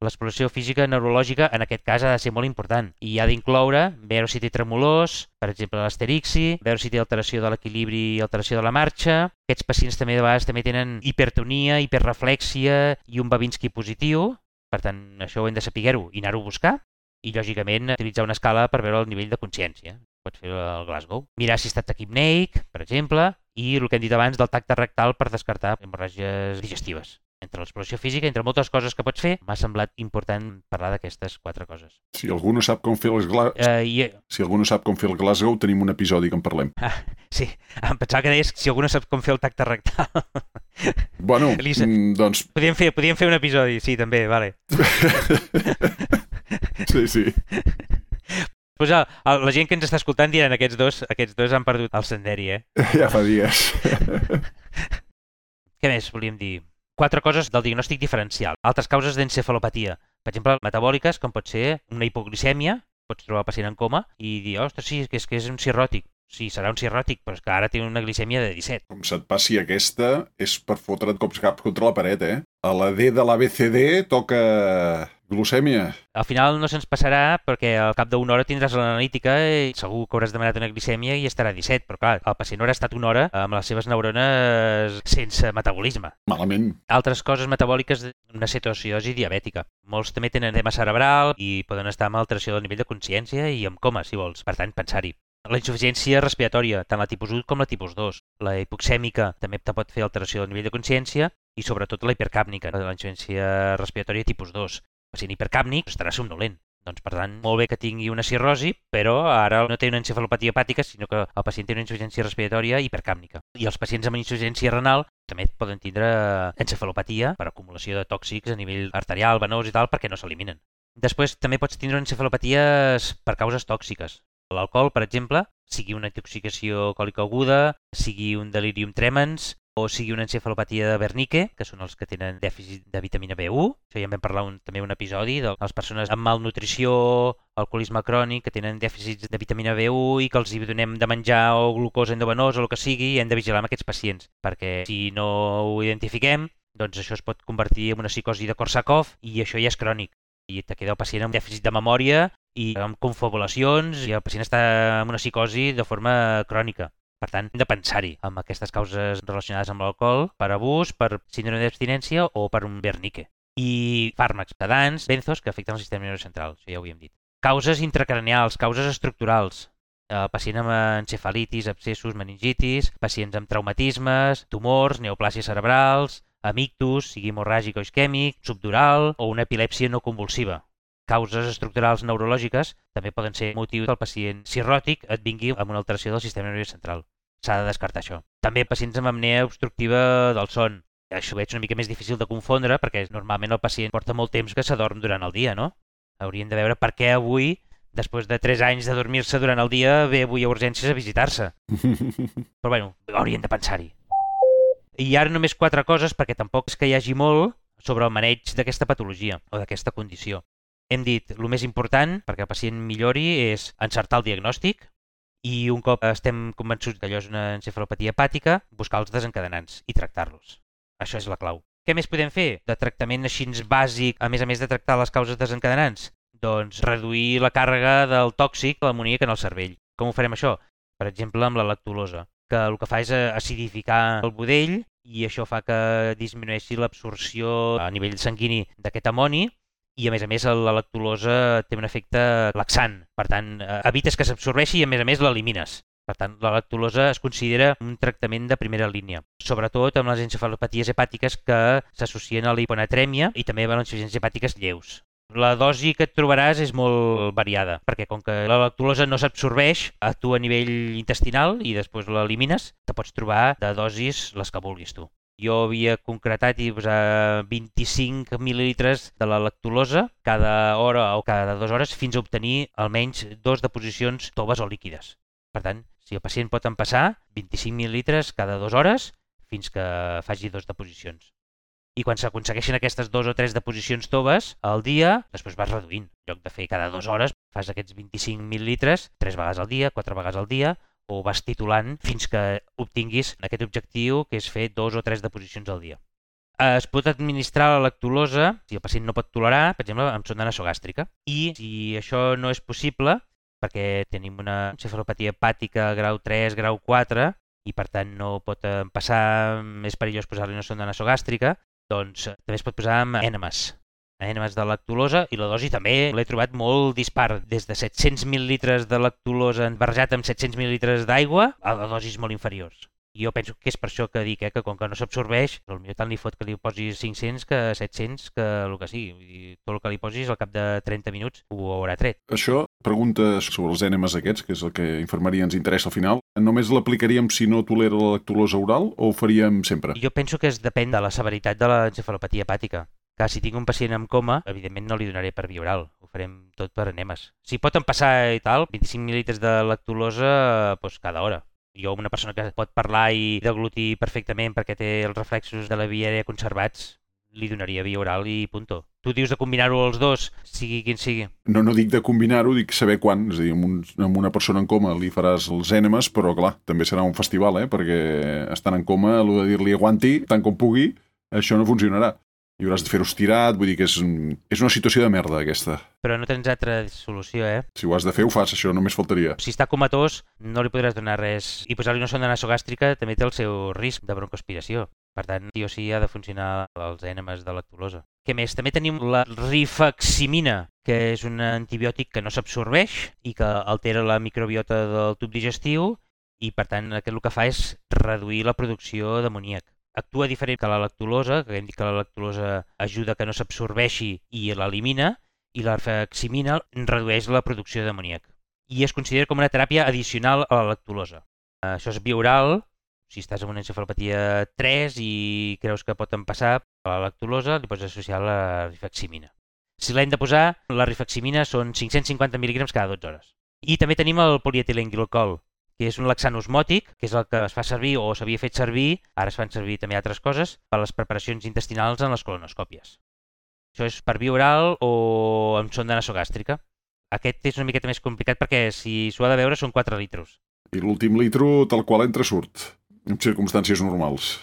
L'exploració física neurològica en aquest cas ha de ser molt important i ha d'incloure veure si té tremolors, per exemple l'asterixi, veure si té alteració de l'equilibri i alteració de la marxa. Aquests pacients també de vegades també tenen hipertonia, hiperreflèxia i un Babinski positiu, per tant això ho hem de saber-ho i anar-ho a buscar i lògicament utilitzar una escala per veure el nivell de consciència. Pots fer el Glasgow. Mirar si està taquipneic, per exemple, i el que hem dit abans del tacte rectal per descartar hemorràgies digestives. Entre l'exploració física, entre moltes coses que pots fer, m'ha semblat important parlar d'aquestes quatre coses.
Si algú no sap com fer el Glasgow, uh, i... si algú no sap com fer el Glasgow, tenim un episodi que en parlem. Ah,
sí, em pensava que deies si algú no sap com fer el tacte rectal.
Bueno,
Elisa,
doncs...
Podríem fer, podríem fer un episodi, sí, també, vale.
Sí, sí.
Pues a, a la gent que ens està escoltant diran aquests dos, aquests dos han perdut el senderi, eh?
Ja fa dies.
Què més volíem dir? Quatre coses del diagnòstic diferencial. Altres causes d'encefalopatia. Per exemple, metabòliques, com pot ser una hipoglicèmia, pots trobar el pacient en coma i dir, ostres, sí, que és, que és un cirròtic. Sí, serà un cirròtic, però és que ara té una glicèmia de disset.
Com se't passi aquesta, és per fotre't cops cap contra la paret, eh? A la D de l'A B C D toca glucèmia.
Al final no se'ns passarà perquè al cap d'una hora tindràs l'analítica i segur que hauràs demanat una glicèmia i estarà a disset, però clar, el pacient haurà estat una hora amb les seves neurones sense metabolisme.
Malament.
Altres coses metabòliques, una cetoacidosi diabètica. Molts també tenen edema cerebral i poden estar amb alteració del nivell de consciència i amb coma, si vols. Per tant, pensar-hi. La insuficiència respiratòria, tant la tipus u com la tipus dos. La hipoxèmica també te pot fer alteració del nivell de consciència i sobretot la hipercàpnica, la insuficiència respiratòria tipus dos. El pacient hipercàpnic estarà somnolent. Doncs, per tant, molt bé que tingui una cirrosi, però ara no té una encefalopatia hepàtica, sinó que el pacient té una insuficiència respiratòria hipercàpnica. I els pacients amb insuficiència renal també poden tindre encefalopatia per acumulació de tòxics a nivell arterial, venós i tal, perquè no s'eliminen. Després també pots tindre encefalopaties per causes tòxiques. L'alcohol, per exemple, sigui una intoxicació alcohòlica aguda, sigui un delirium tremens, o sigui una encefalopatia de Wernicke, que són els que tenen dèficit de vitamina B u. Això ja en vam parlar un, també un episodi de les persones amb malnutrició, alcoholisme crònic, que tenen dèficits de vitamina B u i que els hi donem de menjar o glucosa endovenosa o el que sigui, i hem de vigilar amb aquests pacients, perquè si no ho identifiquem, doncs això es pot convertir en una psicosi de Korsakoff i això ja és crònic. I te queda el pacient amb dèficit de memòria i amb confabulacions i el pacient està en una psicosi de forma crònica. Per tant, hem de pensar-hi amb aquestes causes relacionades amb l'alcohol, per abús, per síndrome d'abstinència o per un Wernicke. I fàrmacs, sedants, benzos, que afecten el sistema nerviós central, això ja ho havíem dit. Causes intracranials, causes estructurals. El pacient amb encefalitis, abscessos, meningitis, pacients amb traumatismes, tumors, neoplàsies cerebrals, amictus, sigui hemorràgic o isquèmic, subdural o una epilèpsia no convulsiva. Causes estructurals neurològiques també poden ser motiu que el pacient cirròtic et vingui amb una alteració del sistema nerviós central. S'ha de descartar això. També pacients amb apnea obstructiva del son. Això veig una mica més difícil de confondre perquè normalment el pacient porta molt temps que s'adorm durant el dia, no? Haurien de veure per què avui, després de tres anys de dormir-se durant el dia, ve avui a urgències a visitar-se. Però bueno, haurien de pensar-hi. I ara només quatre coses, perquè tampoc és que hi hagi molt sobre el maneig d'aquesta patologia o d'aquesta condició. Hem dit, el més important perquè el pacient millori és encertar el diagnòstic i un cop estem convençuts que allò és una encefalopatia hepàtica, buscar els desencadenants i tractar-los. Això és la clau. Què més podem fer de tractament així bàsic, a més a més de tractar les causes desencadenants? Doncs reduir la càrrega del tòxic, l'amoníac en el cervell. Com ho farem això? Per exemple, amb la lactulosa, que el que fa és acidificar el budell i això fa que disminueixi l'absorció a nivell sanguini d'aquest amoni i a més a més la lactulosa té un efecte laxant. Per tant, evites que s'absorbeixi i a més a més l'elimines. Per tant, la lactulosa es considera un tractament de primera línia, sobretot amb les encefalopaties hepàtiques que s'associen a la hiponatrèmia i també a les insuficiències hepàtiques lleus. La dosi que et trobaràs és molt variada, perquè com que la lactulosa no s'absorbeix, actua a nivell intestinal i després l'elimines, te pots trobar de dosis les que vulguis tu. Jo havia concretat i posar vint-i-cinc mil·lilitres de la lactulosa cada hora o cada dues hores fins a obtenir almenys dos deposicions toves o líquides. Per tant, si el pacient pot empassar, vint-i-cinc mil·lilitres cada dues hores fins que faci dos deposicions. I quan s'aconsegueixen aquestes dos o tres deposicions toves al dia, després vas reduint. En lloc de fer cada dues hores, fas aquests vint-i-cinc mil·lilitres tres vegades al dia, quatre vegades al dia, o vas titulant fins que obtinguis aquest objectiu, que és fer dos o tres deposicions al dia. Es pot administrar la lactulosa, si el pacient no pot tolerar, per exemple, amb sonda nasogàstrica. I si això no és possible, perquè tenim una encefalopatia hepàtica grau tres, grau quatre, i per tant no pot passar, és perillós posar-li una sonda nasogàstrica, doncs també es pot posar amb ènemes, ènemes de lactulosa, i la dosi també l'he trobat molt dispar, des de set-cents mil·lilitres de lactulosa barrejat amb set-cents mil·lilitres d'aigua a dosis molt inferiors. Jo penso que és per això que dic, eh, que com que no s'absorbeix, potser tant li fot que li posis cinc-cents que set-cents, que el que sigui. I tot el que li posis al cap de trenta minuts ho haurà tret.
Això, pregunta sobre els ènemes aquests, que és el que infermeria ens interessa al final. Només l'aplicaríem si no tolera la lactulosa oral o ho faríem sempre?
Jo penso que es depèn de la severitat de l'encefalopatia hepàtica. Que si tinc un pacient amb coma, evidentment no li donaré per via oral. Ho farem tot per enemes. Si pot empassar i tal, vint-i-cinc mil·lilitres de lactulosa doncs cada hora. Jo, una persona que pot parlar i deglutir perfectament perquè té els reflexos de la via aèria conservats, li donaria via oral i punto. Tu dius de combinar-ho els dos, sigui quin sigui.
No, no dic de combinar-ho, dic saber quan. És a dir, amb, un, amb una persona en coma li faràs els ènemes, però clar, també serà un festival, eh? Perquè estant en coma, allò de dir-li aguanti tant com pugui, això no funcionarà. I hauràs de fer-ho estirat, vull dir que és, és una situació de merda, aquesta.
Però no tens altra solució, eh?
Si ho has de fer, ho fas, això només faltaria.
Si està comatós, no li podràs donar res. I posar-li una sonda nasogàstrica també té el seu risc de broncoaspiració. Per tant, sí o sí ha de funcionar els ènemes de lactulosa. Què més? També tenim la rifaximina, que és un antibiòtic que no s'absorbeix i que altera la microbiota del tub digestiu i, per tant, aquest el que fa és reduir la producció d'amoníac. Actua diferent que la lactulosa, que hem dit que la lactulosa ajuda que no s'absorbeixi i l'elimina, i la rifaximina redueix la producció d'amoníac. I es considera com una teràpia addicional a la lactulosa. Això és bioral. Si estàs amb una encefalopatia tres i creus que pot empassar a la lactulosa, li pots associar la rifaximina. Si l'hem de posar, la rifaximina són cinc-cents cinquanta mil·lígrams cada dotze hores. I també tenim el polietilenglicol, que és un laxant osmòtic, que és el que es fa servir o s'havia fet servir, ara es fan servir també altres coses, per a les preparacions intestinals en les colonoscòpies. Això és per via oral o amb sonda nasogàstrica. Aquest és una miqueta més complicat perquè si s'ho ha de beure són quatre litros.
I l'últim litro tal qual entra surt, en circumstàncies normals.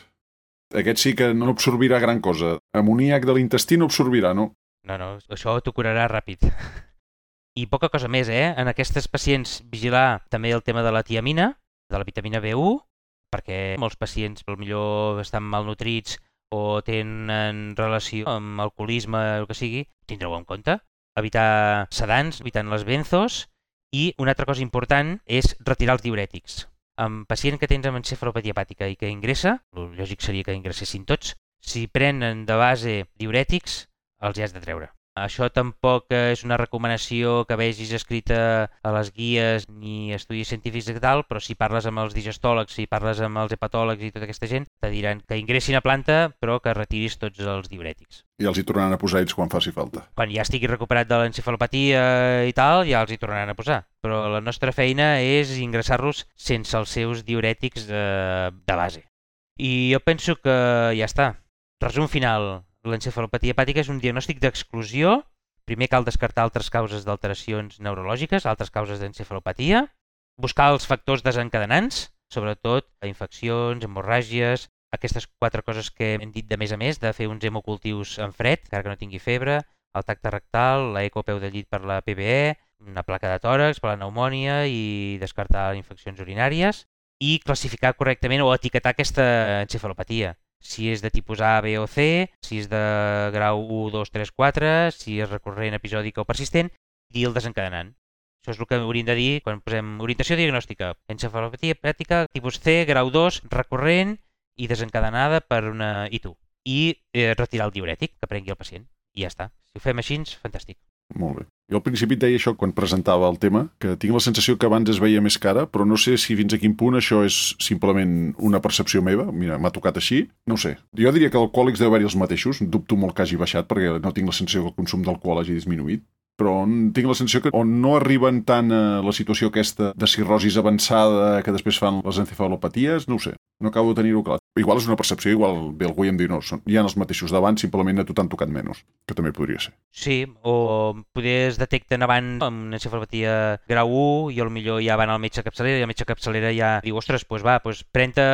Aquest sí que no absorbirà gran cosa. Amoníac de l'intestí no absorbirà, no?
No, no, això t'ho curarà ràpid. I poca cosa més, eh? En aquestes pacients vigilar també el tema de la tiamina, de la vitamina B u, perquè molts pacients potser estan malnutrits o tenen relació amb alcoholisme o el que sigui, tindreu en compte. Evitar sedants, evitant les benzos, i una altra cosa important és retirar els diurètics. En pacient que tens amb encefalopatia hepàtica i que ingressa, el lògic seria que ingressessin tots, si prenen de base diurètics, els hi has de treure. Això tampoc és una recomanació que vegis escrita a les guies ni estudis científics i tal, però si parles amb els digestòlegs, si parles amb els hepatòlegs i tota aquesta gent, te diran que ingressin a planta però que retiris tots els diurètics.
I els hi tornaran a posar ells quan faci falta.
Quan ja estigui recuperat de l'encefalopatia i tal, ja els hi tornaran a posar. Però la nostra feina és ingressar-los sense els seus diurètics de, de base. I jo penso que ja està. Resum final. L'encefalopatia hepàtica és un diagnòstic d'exclusió. Primer cal descartar altres causes d'alteracions neurològiques, altres causes d'encefalopatia, buscar els factors desencadenants, sobretot infeccions, hemorràgies, aquestes quatre coses que hem dit de més a més, de fer uns hemocultius en fred, encara que no tingui febre, el tacte rectal, l'eco a peu de llit per la P B E, una placa de tòrax per la pneumònia i descartar infeccions urinàries, i classificar correctament o etiquetar aquesta encefalopatia. Si és de tipus A, B o C, si és de grau u, dos, tres, quatre, si és recurrent, episòdica o persistent, i el desencadenant. Això és el que hauríem de dir quan posem orientació diagnòstica. Encefalopatia hepàtica tipus C, grau dos, recurrent i desencadenada per una I T U. I eh, retirar el diurètic que prengui el pacient. I ja està. Si ho fem així, fantàstic.
Molt bé. Jo al principi et deia això quan presentava el tema, que tinc la sensació que abans es veia més cara, però no sé si fins a quin punt això és simplement una percepció meva. Mira, m'ha tocat així. No ho sé. Jo diria que alcohòlics deu haver-hi els mateixos. Dubto molt que hagi baixat perquè no tinc la sensació que el consum d'alcohol hagi disminuït. Però tinc la sensació que o no arriben tant a la situació aquesta de cirrosis avançada que després fan les encefalopaties, no ho sé. No acabo de tenir-ho clar. Igual és una percepció, igual ve algú i em diu no, són, hi ha els mateixos d'abans, simplement a tu t'han tocat menys, que també podria ser.
Sí, o poder es detecten abans amb una encefalopatia grau u i potser ja van al metge capçalera i el metge capçalera ja diu, ostres, doncs va, doncs pren-te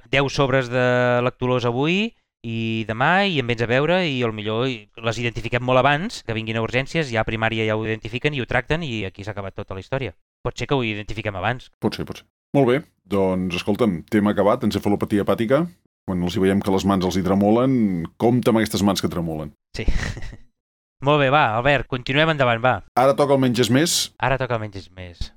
deu sobres de lactulosa avui i demà i en vens a veure i potser les identifiquem molt abans, que vinguin a urgències, ja a primària ja ho identifiquen i ho tracten i aquí s'ha acabat tota la història. Pot ser que ho identifiquem abans.
Pot ser, pot ser. Molt bé, doncs escolta'm, tema acabat, encefalopatia hepàtica. Quan els hi veiem que les mans els hi tremolen, compta amb aquestes mans que tremolen.
Sí. Molt bé, va, Albert, continuem endavant, va.
Ara toca el menges més.
Ara toca el menges més.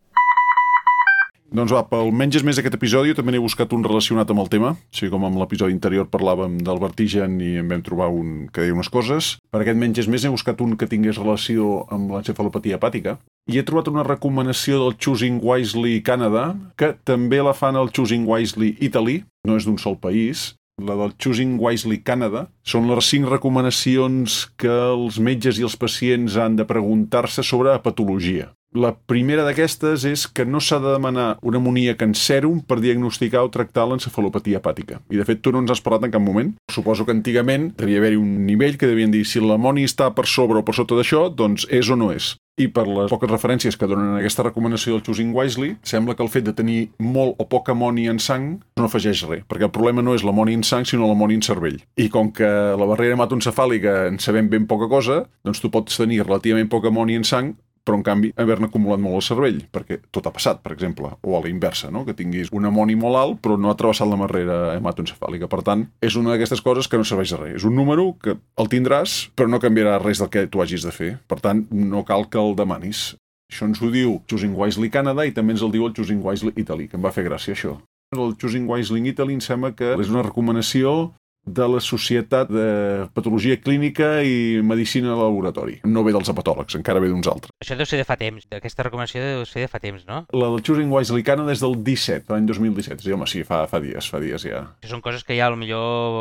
Doncs va, pel menges més aquest episodi també n'he buscat un relacionat amb el tema, així com amb l'episodi anterior parlàvem del vertigen i en vam trobar un que deia unes coses. Per aquest menges més he buscat un que tingués relació amb l'encefalopatia hepàtica i he trobat una recomanació del Choosing Wisely Canada, que també la fan al Choosing Wisely Italy, no és d'un sol país, la del Choosing Wisely Canada, són les cinc recomanacions que els metges i els pacients han de preguntar-se sobre patologia. La primera d'aquestes és que no s'ha de demanar un amoníac en sèrum per diagnosticar o tractar l'encefalopatia hepàtica. I de fet tu no ens has parlat en cap moment. Suposo que antigament devia haver-hi un nivell que devien dir si l'amoni està per sobre o per sota d'això, doncs és o no és. I per les poques referències que donen aquesta recomanació del Choosing Wisely, sembla que el fet de tenir molt o poc amoni en sang no afegeix res, perquè el problema no és l'amoni en sang, sinó l'amoni en cervell. I com que la barrera hematoencefàlica en sabem ben poca cosa, doncs tu pots tenir relativament poc amoni en sang, però en canvi haver-ne acumulat molt al cervell, perquè tot ha passat, per exemple, o a la inversa, no? Que tinguis un amoni molt alt però no ha travessat la barrera hematoencefàlica. Per tant, és una d'aquestes coses que no serveix de res. És un número que el tindràs, però no canviarà res del que tu hagis de fer. Per tant, no cal que el demanis. Això ens ho diu Choosing Wisely Canada i també ens el diu el Choosing Wisely Italy, que em va fer gràcia això. El Choosing Wisely Italy em sembla que és una recomanació de la Societat de Patologia Clínica i Medicina de Laboratori. No ve dels hepatòlegs, encara ve d'uns altres.
Això deu ser de fa temps. Aquesta recomanació deu ser de fa temps, no?
La del Choosing Wisely Canada és del disset, l'any dos mil disset. Sí, home, sí, fa, fa dies, fa dies ja.
Això són coses que ja, potser,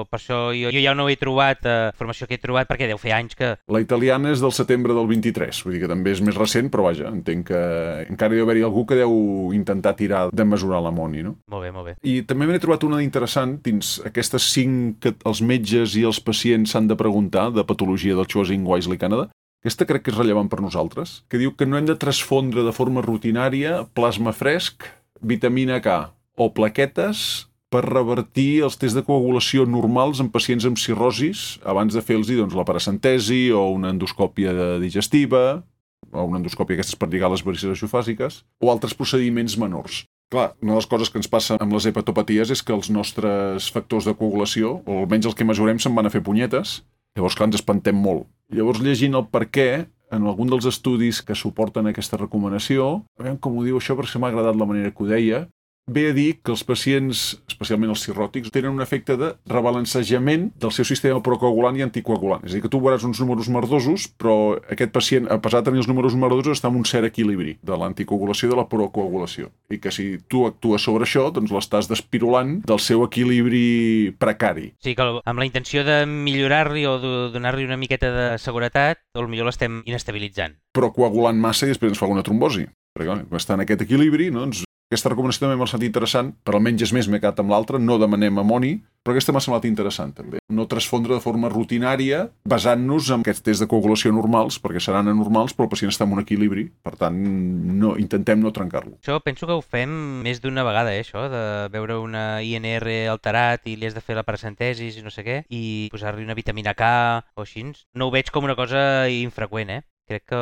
per això jo, jo ja no he trobat, eh, formació que he trobat, perquè deu fer anys que...
La italiana és del setembre del vint-i-tres, vull dir que també és més recent, però vaja, entenc que encara deu haver-hi algú que deu intentar tirar de mesurar l'amoni, no?
Molt bé, molt bé.
I també m'he trobat una interessant dins aquestes cinc que els metges i els pacients s'han de preguntar de patologia del Choosing Wisely Canada. Aquesta crec que és rellevant per nosaltres, que diu que no hem de transfondre de forma rutinària plasma fresc, vitamina K o plaquetes per revertir els tests de coagulació normals en pacients amb cirrosis abans de fer-los doncs, la paracentesi o una endoscòpia digestiva o una endoscòpia aquestes per lligar les varices esofàsiques o altres procediments menors. Clar, una de les coses que ens passa amb les hepatopaties és que els nostres factors de coagulació, o almenys els que mesurem, se'n van a fer punyetes. Llavors, clar, ens espantem molt. Llavors, llegint el per què, en algun dels estudis que suporten aquesta recomanació, a veure com ho diu això perquè m'ha agradat la manera que ho deia, ve a dir que els pacients, especialment els cirròtics, tenen un efecte de rebalancejament del seu sistema procoagulant i anticoagulant. És a dir, que tu veuràs uns números merdosos, però aquest pacient, a pesar de tenir els números merdosos, està en un cert equilibri de l'anticoagulació i de la procoagulació. I que si tu actues sobre això, doncs l'estàs despirulant del seu equilibri precari.
Sí, que amb la intenció de millorar-li o de donar-li una miqueta de seguretat, potser l'estem inestabilitzant.
Procoagulant massa i després ens fa una trombosi. Perquè quan està en aquest equilibri, doncs... Aquesta recomanació també m'ha sentit interessant, per almenys és més m'he quedat amb l'altra, no demanem amoni, però aquesta m'ha semblat interessant també. No transfondre de forma rutinària basant-nos en aquests tests de coagulació normals, perquè seran anormals, però el pacient està en un equilibri, per tant, no, intentem no trencar-lo.
Això penso que ho fem més d'una vegada, eh, això, de veure una I N R alterat i li has de fer la paracentesis i no sé què, i posar-li una vitamina K o així. No ho veig com una cosa infreqüent, eh? Crec que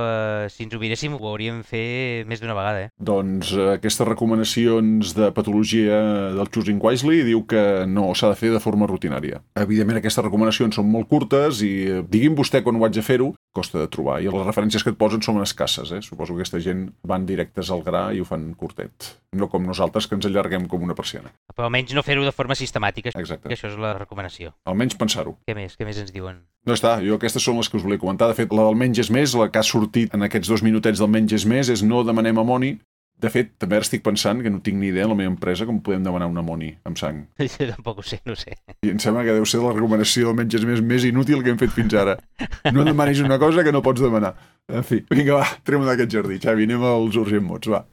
si ens ho miréssim ho hauríem fer més d'una vegada, eh?
Doncs eh, aquestes recomanacions de patologia del Choosing Wisely diu que no s'ha de fer de forma rutinària. Evidentment aquestes recomanacions són molt curtes i eh, digui'm vostè quan ho haig de fer-ho, costa de trobar. I les referències que et posen són escasses, eh? Suposo que aquesta gent van directes al gra i ho fan curtet. No com nosaltres, que ens allarguem com una persiana.
Però almenys no fer-ho de forma sistemàtica.
Exacte.
Que això és la recomanació.
Almenys pensar-ho.
Què més? Què més ens diuen?
No està, jo aquestes són les que us volia comentar. De fet, la del menys és més, la que ha sortit en aquests dos minutets del menys és més, és no demanem amoni. De fet, també ara estic pensant que no tinc ni idea a la meva empresa com podem demanar un amoni amb sang.
Jo tampoc ho sé, no ho sé.
I em sembla que deu ser la recomanació del menys és més més inútil que hem fet fins ara. No demanis una cosa que no pots demanar. En fi, vinga, va, trem-ho d'aquest jardí. Xavi, anem als urgent mots, va.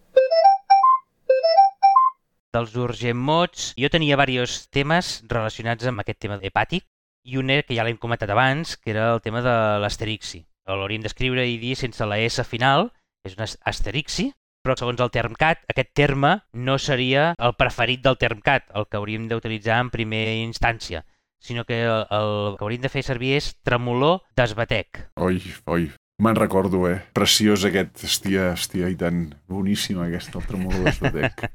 Dels urgent mots, jo tenia diversos temes relacionats amb aquest tema hepàtic i un que ja l'hem comentat abans, que era el tema de l'asterixi. L'hauríem d'escriure i dir sense la S final, és una asterixi, però segons el TermCat, aquest terme no seria el preferit del TermCat, el que hauríem d'utilitzar en primera instància, sinó que el, el que hauríem de fer servir és tremolor d'esbatec.
Oi, oi, me'n recordo, eh? Preciós aquest, hòstia, hòstia, i tan boníssima aquesta, el tremolor d'esbatec.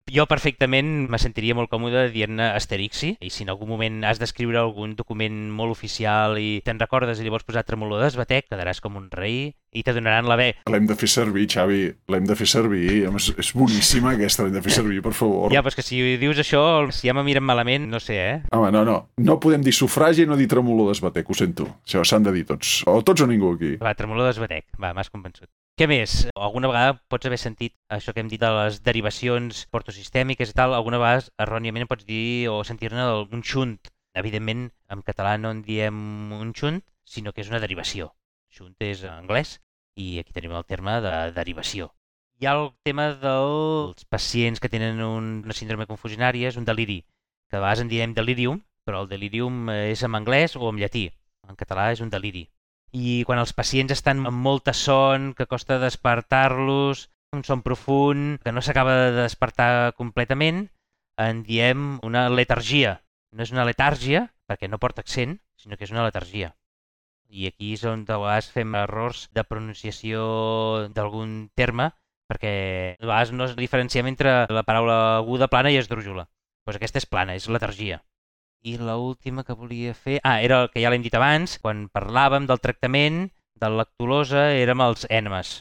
Jo perfectament me sentiria molt còmode dient-ne asterixi, i si en algun moment has d'escriure algun document molt oficial i te'n recordes i llavors posar tremolor d'esbatec, quedaràs com un rei i te donaran la B.
L'hem de fer servir, Xavi, l'hem de fer servir. És boníssima aquesta, l'hem de fer servir, per favor.
Ja, però és que si dius això, si ja me miren malament, no sé, eh?
Home, no, no. No podem dir sufragi i no dir tremolor d'esbatec, ho sento. Això s'han de dir tots. O tots o ningú aquí.
Va, tremolor d'esbatec. Va, m'has convençut. Què més? Alguna vegada pots haver sentit això que hem dit de les derivacions portosistèmiques i tal, alguna vegada erròniament pots dir o sentir-ne un xunt Evidentment, en català no en diem un xunt, sinó que és una derivació. Xunt és anglès i aquí tenim el terme de derivació. Hi ha el tema dels pacients que tenen un, una síndrome confusionària, és un deliri, que a vegades en diem delirium, però el delirium és en anglès o en llatí. En català és un deliri. I quan els pacients estan amb molta son, que costa despertar-los, un son profund, que no s'acaba de despertar completament, en diem una letargia. No és una letàrgia, perquè no porta accent, sinó que és una letargia. I aquí és on de vegades fem errors de pronunciació d'algun terme, perquè a vegades no es diferenciem entre la paraula aguda, plana i esdrújula. Doncs aquesta és plana, és letargia. I l'última que volia fer... Ah, era el que ja l'hem dit abans, quan parlàvem del tractament de la lactulosa érem els ènemes.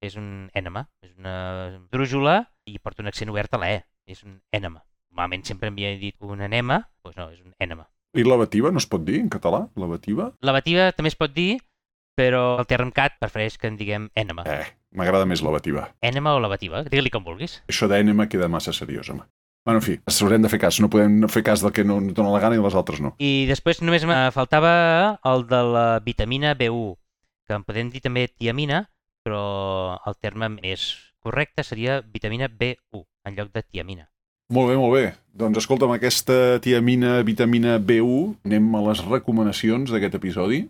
És un ènema, és una drújula i porta un accent obert a la E. És un ènema. Normalment sempre m'havia dit un enema, doncs no, és un ènema.
I lavativa no es pot dir en català? Lavativa?
Lavativa també es pot dir, però el Termcat prefereix que en diguem ènema.
Eh, m'agrada més lavativa.
Ènema o lavativa, digue-li com vulguis.
Això d'ènema queda massa seriós, home. Bueno, en fi, s'haurem de fer cas. No podem fer cas del que no ens dona la gana i les altres no.
I després només me faltava el de la vitamina B u, que en podem dir també tiamina, però el terme més correcte seria vitamina B u, en lloc de tiamina.
Molt bé, molt bé. Doncs escolta'm, aquesta tiamina, vitamina B u, anem a les recomanacions d'aquest episodi.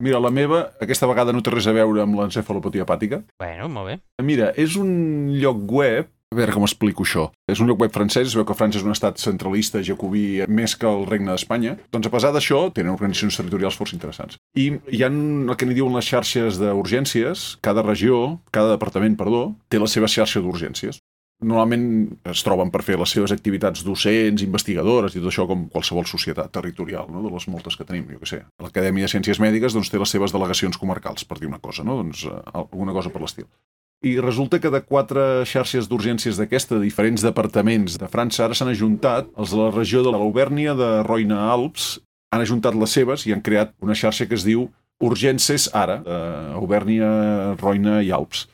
Mira, la meva, aquesta vegada no té res a veure amb l'encefalopatia hepàtica.
Bueno, molt bé.
Mira, és un lloc web... A veure com explico això. És un lloc web francès, es veu que França és un estat centralista, jacobí, més que el Regne d'Espanya. Doncs a pesar d'això, tenen organitzacions territorials força interessants. I hi ha el que n'hi diuen les xarxes d'urgències. Cada regió, cada departament, perdó, té la seva xarxa d'urgències. Normalment es troben per fer les seves activitats docents, investigadores i tot això com qualsevol societat territorial, no? De les moltes que tenim, jo què sé. L'Acadèmia de Ciències Mèdiques doncs, té les seves delegacions comarcals, per dir una cosa, no? Doncs alguna cosa per l'estil. I resulta que de quatre xarxes d'urgències d'aquesta, de diferents departaments de França, ara s'han ajuntat, els de la regió de l'Aubèrnia de Roine-Alps, han ajuntat les seves i han creat una xarxa que es diu Urgències Ara, d'Aubèrnia, Roine i Alps.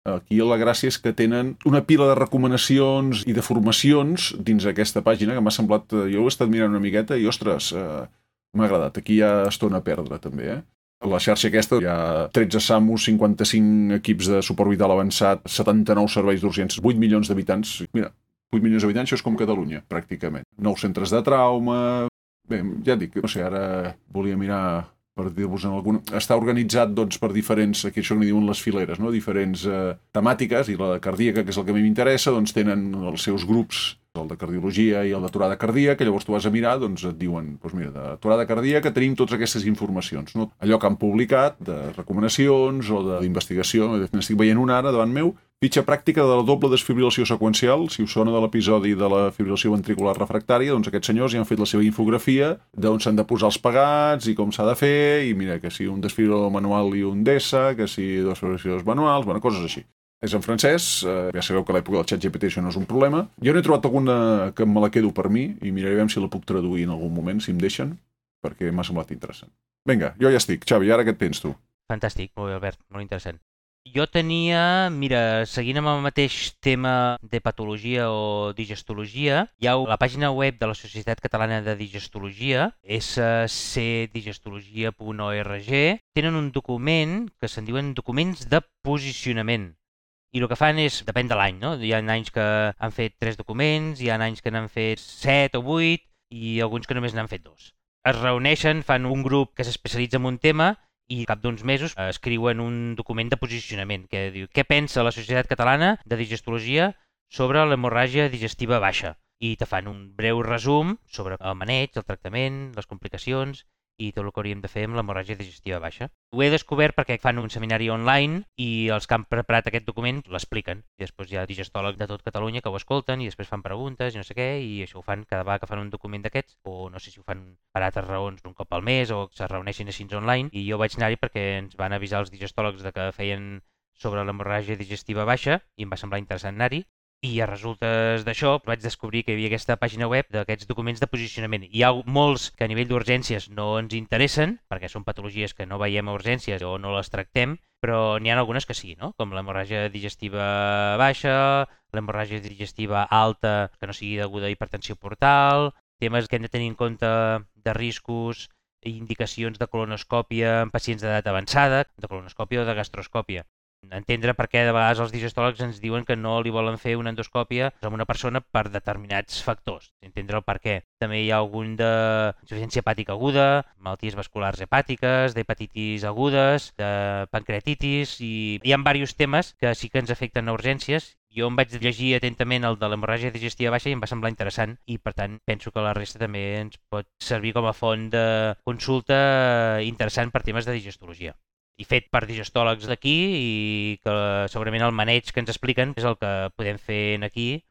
Aquí la gràcia és que tenen una pila de recomanacions i de formacions dins aquesta pàgina que m'ha semblat... Jo ho he estat mirant una miqueta i, ostres, eh, m'ha agradat. Aquí hi ha estona a perdre, també, eh? A la xarxa aquesta hi ha tretze SAMUs, cinquanta-cinc equips de suport vital avançat, setanta-nou serveis d'urgències, vuit milions d'habitants. Mira, vuit milions d'habitants, això és com Catalunya, pràcticament. Nou centres de trauma... Bé, ja et dic, no sé, ara volia mirar per dir-vos en algun... Està organitzat doncs, per diferents, aquí això que n'hi diuen les fileres, no? Diferents eh, temàtiques, i la cardíaca, que és el que a mi m'interessa, doncs tenen els seus grups, el de cardiologia i el d'aturada cardíaca, llavors tu vas a mirar, doncs et diuen, doncs mira, d'aturada cardíaca tenim totes aquestes informacions, no? Allò que han publicat, de recomanacions o d'investigació, n'estic veient una ara davant meu, fitxa pràctica de la doble desfibrilació seqüencial, si us sona de l'episodi de la fibrilació ventricular refractària, doncs aquests senyors ja han fet la seva infografia d'on s'han de posar els pegats i com s'ha de fer, i mira, que si un desfibrilador manual i un D E S A, que si dos desfibriladors manuals, bueno, coses així. És en francès, eh, ja sabeu que a l'època del ChatGPT això no és un problema. Jo n'he trobat alguna que me la quedo per mi i miraré si la puc traduir en algun moment, si em deixen, perquè m'ha semblat interessant. Vinga, jo ja estic. Xavi, ara què et tens tu?
Fantàstic, molt bé, Albert, molt interessant. Jo tenia, mira, seguint amb el mateix tema de patologia o digestologia, hi ha la pàgina web de la Societat Catalana de Digestologia, s c digestologia punt org, tenen un document que se'n diuen documents de posicionament. I el que fan és, depèn de l'any, no? Hi ha anys que han fet tres documents, hi ha anys que n'han fet set o vuit i alguns que només n'han fet dos. Es reuneixen, fan un grup que s'especialitza en un tema i al cap d'uns mesos escriuen un document de posicionament que diu què pensa la Societat Catalana de Digestologia sobre l'hemorràgia digestiva baixa. I te fan un breu resum sobre el maneig, el tractament, les complicacions i tot el que hauríem de fer amb l'hemorràgia digestiva baixa. Ho he descobert perquè fan un seminari online i els que han preparat aquest document l'expliquen. I després hi ha digestòlegs de tot Catalunya que ho escolten i després fan preguntes i no sé què, i això ho fan cada vegada que fan un document d'aquests, o no sé si ho fan per altres raons un cop al mes o se reuneixin així online. I jo vaig anar-hi perquè ens van avisar els digestòlegs de que feien sobre l'hemorràgia digestiva baixa i em va semblar interessant anar-hi. I a resultes d'això vaig descobrir que hi havia aquesta pàgina web d'aquests documents de posicionament. Hi ha molts que a nivell d'urgències no ens interessen, perquè són patologies que no veiem a urgències o no les tractem, però n'hi ha algunes que sí, no? Com l'hemorràgia digestiva baixa, l'hemorràgia digestiva alta que no sigui deguda a hipertensió portal, temes que hem de tenir en compte de riscos i indicacions de colonoscòpia en pacients d'edat avançada, de colonoscòpia o de gastroscòpia. Entendre per què de vegades els digestòlegs ens diuen que no li volen fer una endoscòpia amb una persona per determinats factors. Entendre el per què. També hi ha algun d'insuficiència hepàtica aguda, malalties vasculars hepàtiques, d'hepatitis agudes, de pancreatitis, i hi ha diversos temes que sí que ens afecten a urgències. Jo em vaig llegir atentament el de l'hemorràgia digestiva baixa i em va semblar interessant i, per tant, penso que la resta també ens pot servir com a font de consulta interessant per temes de digestologia. I fet per digestòlegs d'aquí i que segurament el maneig que ens expliquen és el que podem fer aquí,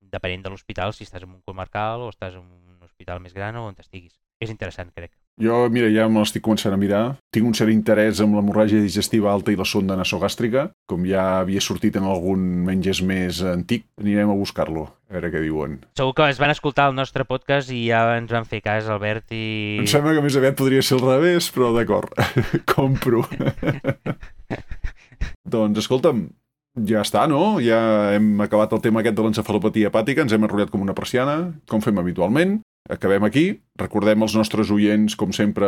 depenent de l'hospital, si estàs en un comarcal o estàs en un hospital més gran o on estiguis. És interessant, crec.
Jo, mira, ja me l'estic començant a mirar. Tinc un cert interès amb l'hemorràgia digestiva alta i la sonda nasogàstrica. Com ja havia sortit en algun menges més antic, anirem a buscar-lo, a veure què diuen.
Segur que es van escoltar el nostre podcast i ja ens van fer cas, Albert, i...
Em sembla que més aviat podria ser al revés, però d'acord, compro. Doncs, escolta'm, ja està, no? Ja hem acabat el tema aquest de l'encefalopatia hepàtica, ens hem enrotllat com una persiana, com fem habitualment. Acabem aquí. Recordem als nostres oients, com sempre,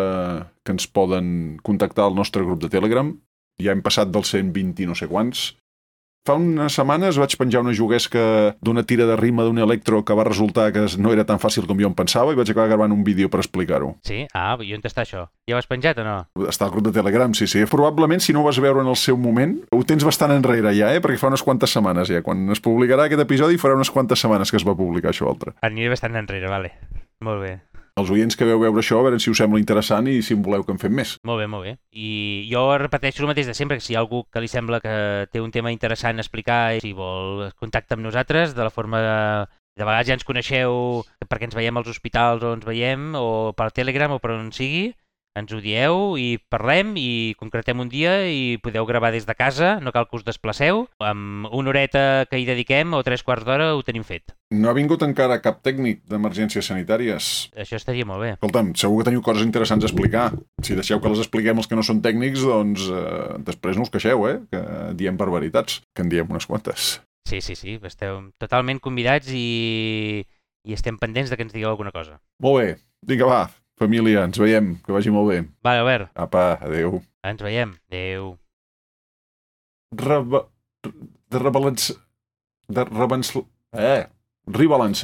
que ens poden contactar al nostre grup de Telegram. Ja hem passat dels cent vint i no sé quants. Fa unes setmanes vaig penjar una juguesca d'una tira de rima d'un electro que va resultar que no era tan fàcil com jo em pensava i vaig acabar gravant un vídeo per explicar-ho.
Sí? Ah, i on està això? Ja ho has penjat o no?
Està al grup de Telegram, sí, sí. Probablement, si no ho vas veure en el seu moment, ho tens bastant enrere ja, eh? Perquè fa unes quantes setmanes ja. Quan es publicarà aquest episodi farà unes quantes setmanes que es va publicar això altre.
Aniré bastant enrere, vale. Molt bé.
Els oients que veu veure això, a veure si us sembla interessant i si en voleu que en fem més.
Molt bé, molt bé. I jo repeteixo el mateix de sempre, que si hi ha algú que li sembla que té un tema interessant a explicar i si vol contactar amb nosaltres, de la forma de... De vegades ja ens coneixeu perquè ens veiem als hospitals o ens veiem, o per Telegram o per on sigui, ens ho dieu i parlem i concretem un dia i podeu gravar des de casa, no cal que us desplaceu. Amb una horeta que hi dediquem o tres quarts d'hora ho tenim fet.
No ha vingut encara cap tècnic d'emergències sanitàries.
Això estaria molt bé.
Escolta'm, segur que teniu coses interessants a explicar. Si deixeu que les expliquem els que no són tècnics, doncs eh, després no us queixeu, eh? Que diem barbaritats, que en diem unes quantes.
Sí, sí, sí, esteu totalment convidats i, i estem pendents de que ens digueu alguna cosa.
Molt bé, vinga va, família, ens veiem, que vagi molt bé.
Va, Albert.
Apa, adeu.
Ens veiem. Adeu.
Reba... De rebalança... De rebalança... Eh, rebalança.